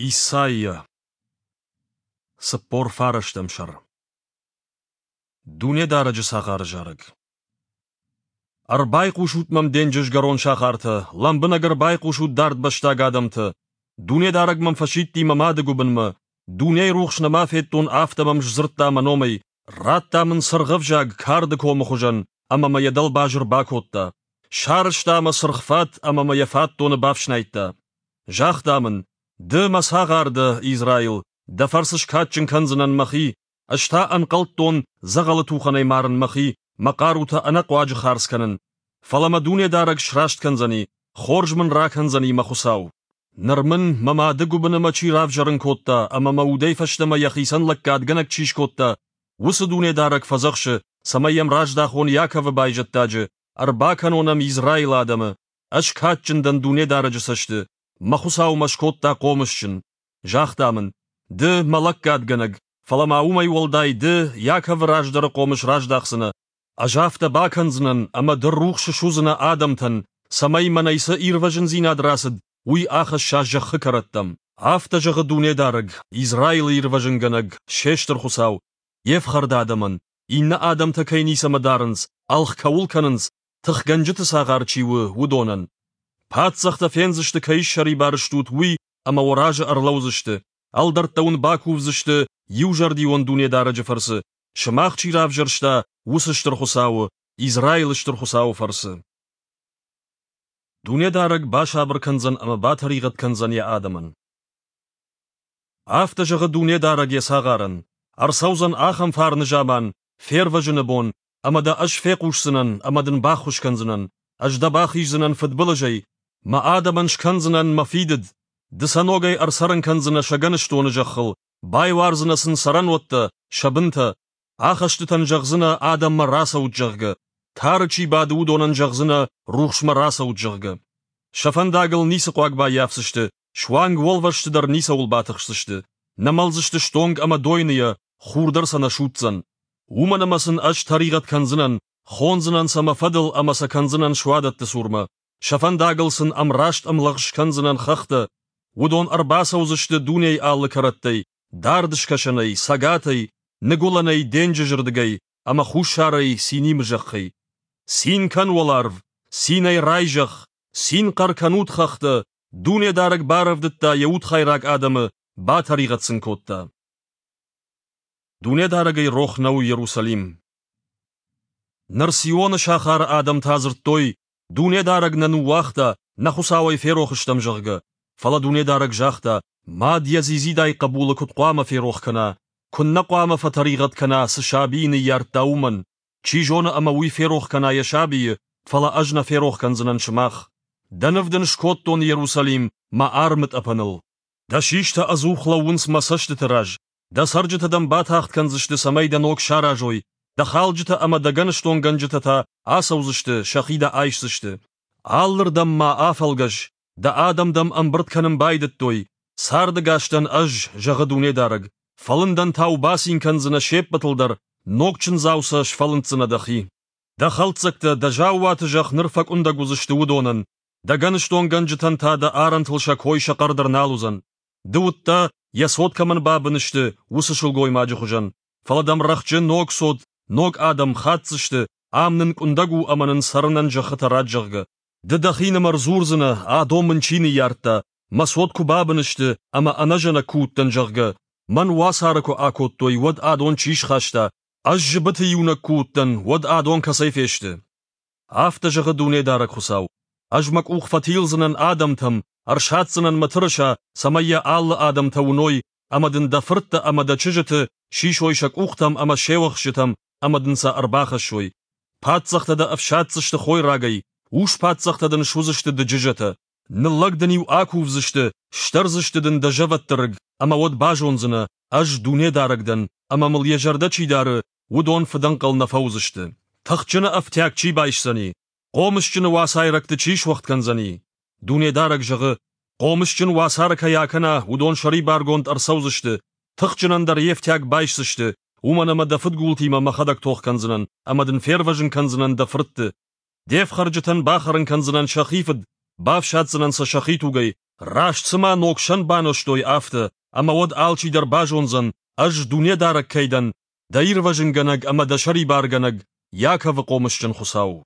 Исайя, 49 сӕр. Дунедарӕджы цагъары зарӕг. Ӕрбайхъусут мӕм денджызгӕрон сахартӕ, лӕмбынӕг ӕрбайхъусут дардбӕстаг адӕмтӕ. Дунедарӕг мӕм фӕсидти мӕ мады гуыбынмӕ, дунейы рухс нӕма федтон, афтӕ мӕм сдзырдта мӕ номӕй, радта мын цыргъ ӕвзаг карды комы хуызӕн ӕмӕ мӕ йӕ дӕлбазыр бакодта. Сарӕзта мӕ цыргъ фат ӕмӕ мӕ йӕ фатдоны бафснайдта. Загъта мын: Ды мӕ цагъар дӕ, Израил, дӕ фӕрцы скадджын кӕндзынӕн мӕхи, ӕз та ӕнхъӕлдтон дзӕгъӕлы тухӕнӕй марын мӕхи, мӕ хъарутӕ ӕнӕхъуаджы хардз кӕнын. Фӕлӕ мӕ Дунедарӕг сраст кӕндзӕни, хорз мын ракӕндзӕни мӕ Хуыцау. Ныр мын мӕ мады гуыбыны мӕ чи равзӕрын кодта ӕмӕ мӕ удӕй фӕстӕмӕ йӕхицӕн лӕггадгӕнӕг чи скодта, уыцы Дунедарӕг фӕдзӕхсы, цӕмӕй йӕм раздахон Иаковы байзӕддаджы, ӕрбакӕнон ӕм Израилы адӕмы. Ӕз кадджын дӕн Дунедарӕджы цӕсты, мӕ Хуыцау мӕ скодта хъомысджын. Загъта мын: Ды, мӕ лӕггадгӕнӕг, фӕлӕ ма уымӕй уӕлдай ды Иаковы раздӕры хъомыс раздахдзынӕ. Ӕз афтӕ бакӕндзынӕн, ӕмӕ ды рухс суыдзынӕ адӕмтӕн, цӕмӕй мӕнӕй цы ирвӕзындзинад рацыд, уый ахӕсса зӕххы кӕрӕттӕм. Афтӕ зӕгъы Дунедарӕг, Израилы ирвӕзынгӕнӕг, се стыр Хуыцау, йе фхӕрд адӕмӕн, иннӕ адӕмтӕ кӕй ницӕмӕ дарынц, ӕлгъ кӕуыл кӕнынц, тыхгӕнджыты цагъар чи у, уыдонӕн. Паддзӕхтӕ фендзысты, кӕй ссӕрибар стут, уый ӕмӕ уӕ разы ӕрлӕудзысты, ӕлдӕрттӕ уын бакувдзысты иузӕрдион Дунедарӕджы фӕрцы, сымах чи равзӕрста, уыцы Стыр Хуыцауы, Израилы Стыр Хуыцауы фӕрцы. Дунедарӕг басабыр кӕндзӕн ӕмӕ батӕригъӕд кӕндзӕн йӕ адӕмӕн. Афтӕ зӕгъы Дунедарӕг йӕ цагъарӕн: Ӕрцӕудзӕн ахӕм фарны заман, фервӕзыны бон, ӕмӕ дӕ ӕз фехъусдзынӕн ӕмӕ дын баххуыс кӕндзынӕн, ӕз дӕ бахиздзынӕн фыдбылызӕй, мӕ адӕмӕн скӕндзынӕн мӕ фидыд, ды сӕ ногӕй ӕрцӕрын кӕндзынӕ сӕ гӕныстоны зӕххыл, байуардзынӕ сын цӕрӕнуӕттӕ, сӕ бынтӕ, ахӕстытӕн зӕгъдзынӕ адӕммӕ рацӕут, зӕгъгӕ, тары чи бады, уыдонӕн зӕгъдзынӕ рухсмӕ рацӕут, зӕгъгӕ. Сӕ фӕндагыл ницы хъуаг баййафдзысты, суанг уӕлвӕзты дӕр ницӕуыл батыхсдзысты, нӕ мӕлдзысты стонг ӕмӕ дойныйӕ, хур дӕр сӕ нӕ судздзӕн. Уымӕн ӕмӕ сын ӕз тӕригъӕд кӕндзынӕн, хондзынӕн сӕ мӕ фӕдыл ӕмӕ сӕ кӕндзынӕн суадӕтты цурмӕ. Сӕ фӕндагыл сын ӕмраст ӕмлӕгъз скӕндзынӕн хӕхтӕ. Уыдон ӕрбацӕудзысты дунейы алы кӕрӕттӕй, дард скӕсӕнӕй, цӕгатӕй, ныгуылӕнӕй, денджызырдыгӕй ӕмӕ хуссарӕй Синимы зӕххӕй. Цин кӕн, уӕларв, цинӕй рай зӕхх, цин хъӕр кӕнут хӕхтӕ, Дунедарӕг барӕвдыдта йӕ удхайраг адӕмы, батӕригъӕд сын кодта. Дунедарӕгӕй рох нӕу Иерусалим. Ныр Сионы сахары адӕмтӕ дзырдтой, Дунедарӕг нӕ ныууагъта, нӕ Хуыцауӕй ферох стӕм, зӕгъгӕ. Фӕлӕ Дунедарӕг загъта, мад йӕ дзидзидай хъӕбулы куыд хъуамӕ ферох кӕна, куыннӕ хъуамӕ фӕтӕригъӕд кӕна, цы сабийы ныййардта, уымӕн. Чи зоны ӕмӕ уый ферох кӕна йӕ сабийы, фӕлӕ ӕз нӕ ферох кӕндзынӕн сымах. Дӕ ныв дын скодтон, Иерусалим, мӕ армытъӕпӕныл. Дӕ систӕ ӕдзух лӕууынц мӕ цӕстыты раз, дӕ цӕрджытӕ дӕм батагъд кӕндзысты, цӕмӕй дӕ ног саразой, дӕ халджытӕ ӕмӕ дӕ гӕныстонгӕнджытӕ та ацӕудзысты, сӕхи дӕ айсдзысты. Алырдӕм ма афӕлгӕс, дӕ адӕм дӕм ӕмбырд кӕнын байдыдтой, цардӕгас дӕн ӕз, зӕгъы Дунедарӕг, фӕлындӕнтау бацин кӕндзынӕ се ппӕтыл дӕр, ног чындзау сӕ сфӕлынддзынӕ дӕхи. Дӕ хӕлддзӕгтӕ, дӕ заууаты зӕхх ныр фӕкъуындӕг уыдзысты уыдонӕн, дӕ гӕныстонгӕнджытӕн та дӕ арӕнтыл сӕ кой сӕ хъӕр дӕр нал уыдзӕн. Ды уыдтӕ, йӕ цот кӕмӕн бабын сты, уыцы сылгоймаджы хуызӕн, фӕлӕ дӕм рӕхджы ног цот, ног адӕм хатдзысты, ам нын къуындӕг у ӕмӕ нын цӕрынӕн зӕххытӕ ратт, зӕгъгӕ. Ды дӕхинымӕр дзурдзынӕ, адон мын чи ныййардта, мӕ цот куы бабын сты ӕмӕ ӕнӕзӕнӕг куы уыдтӕн, зӕгъгӕ, мӕн уацары куы акодтой, уӕд адон чи схаста, ӕз зыбыты иунӕг куы уыдтӕн, уӕд адон кӕцӕй фесты? Афтӕ зӕгъы Дунедарӕг Хуыцау. Ӕз мӕ къух фӕтилдзынӕн адӕмтӕм, ӕрсадздзынӕн мӕ тырыса, цӕмӕй йӕ алы адӕмтӕ уыной, ӕмӕ дын дӕ фырттӕ ӕмӕ дӕ чызджыты сисой сӕ къухтӕм ӕмӕ се уӕхсчытӕм ӕмӕ дын сӕ ӕрбахӕссой. Паддзӕхтӕ дӕ ӕфсаддзысты хойрагӕй, ус-паддзӕхтӕ дын суыдзысты дыджызӕтӕ. Ныллӕг дын-иу акувдзысты, стӕрдзысты дын дӕ зӕвӕтты рыг, ӕмӕ уӕд базондзынӕ, ӕз Дунедарӕг дӕн, ӕмӕ мыл йӕ зӕрдӕ чи дары, уыдон фыдӕнхъӕл нӕ фӕуыдзысты. Тыхджыны ӕфтиаг чи байсдзӕни, хъомысджыны уацайрӕгты чи суӕгъд кӕндзӕни? Дунедарӕг зӕгъы, хъомысджын уацары кӕй акӕна, уыдон сӕрибаргонд ӕрцӕудзысты, тыхджынӕн дӕр йе фтиаг байсдзысты, уымӕн ӕмӕ дӕ фыдгултимӕ мӕхӕдӕг тох кӕндзынӕн ӕмӕ дын фервӕзын кӕндзынӕн дӕ фыртты. Де фхӕрджытӕн бахӕрын кӕндзынӕн сӕхи фыд, бафсаддзынӕн сӕ сӕхи тугӕй, раст цыма ног сӕн банозтой, афтӕ, ӕмӕ уӕд алчидӕр базондзӕн, Ӕз Дунедарӕг кӕй дӕн, дӕ Ирвӕзынгӕнӕг ӕмӕ дӕ Сӕрибаргӕнӕг, Иаковы хъомысджын Хуыцау.